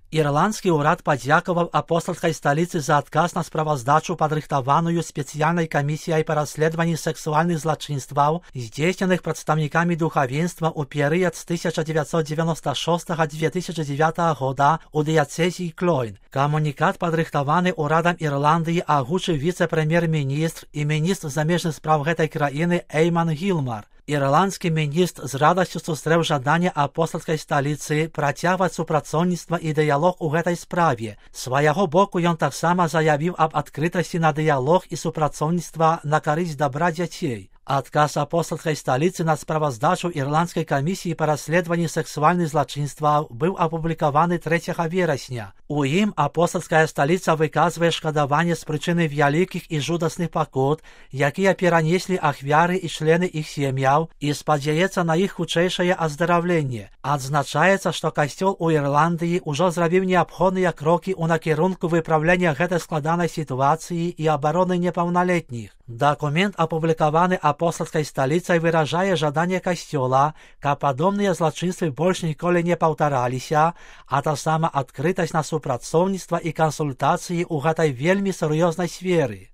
Ірландскі ўрад падзякаваў апостальскай сталіцы за адказ на справаздачу, падрыхтаваную спецыяльнай камісіяй па расследаванні сексуальных злачынстваў, здзейсненых прадстаўнікамі духавенства ў перыяд з 1996-2009 года ў дыяцэзіі Клойн. Камунікат, падрыхтаваны ўрадам Ірландыі, агучыў віцэ-прэм'ер-міністр і міністр замежных спраў гэтай краіны Эйман Гілмар. Ірландскі міністр з радасцю сустрэў жаданне апостальскай сталіцы працягваць супрацоўніцтва і дыялог у гэтай справе. З свайго боку ён таксама заявіў аб адкрытасці на дыялог і супрацоўніцтва на карысць дабра дзяцей. Адказ апостальскай сталіцы на справаздачу ірландскай камісіі па расследаванні сексуальных злачынстваў быў апублікаваны 3 верасня. У ім апостальская сталіца выказвае шкадаванне з прычыны вялікіх і жудасных пакут, якія перанеслі ахвяры і члены іх сем'яў, і спадзяецца на іх хутчэйшае аздараўленне. Адзначаецца, што касцёл у Ірландыі ўжо зрабіў неабходныя крокі ў накірунку выпраўлення гэтай складанай сітуацыі і абароны непаўналетніх. Дакумент, апублікаваны апостальскай сталіцай, выражае жаданне касцёла, каб падобныя злачынствы больш ніколі не паўтараліся, а таксама адкрытасць на супрацоўніцтва і кансультацыі ў гэтай вельмі сур'ёзнай сферы.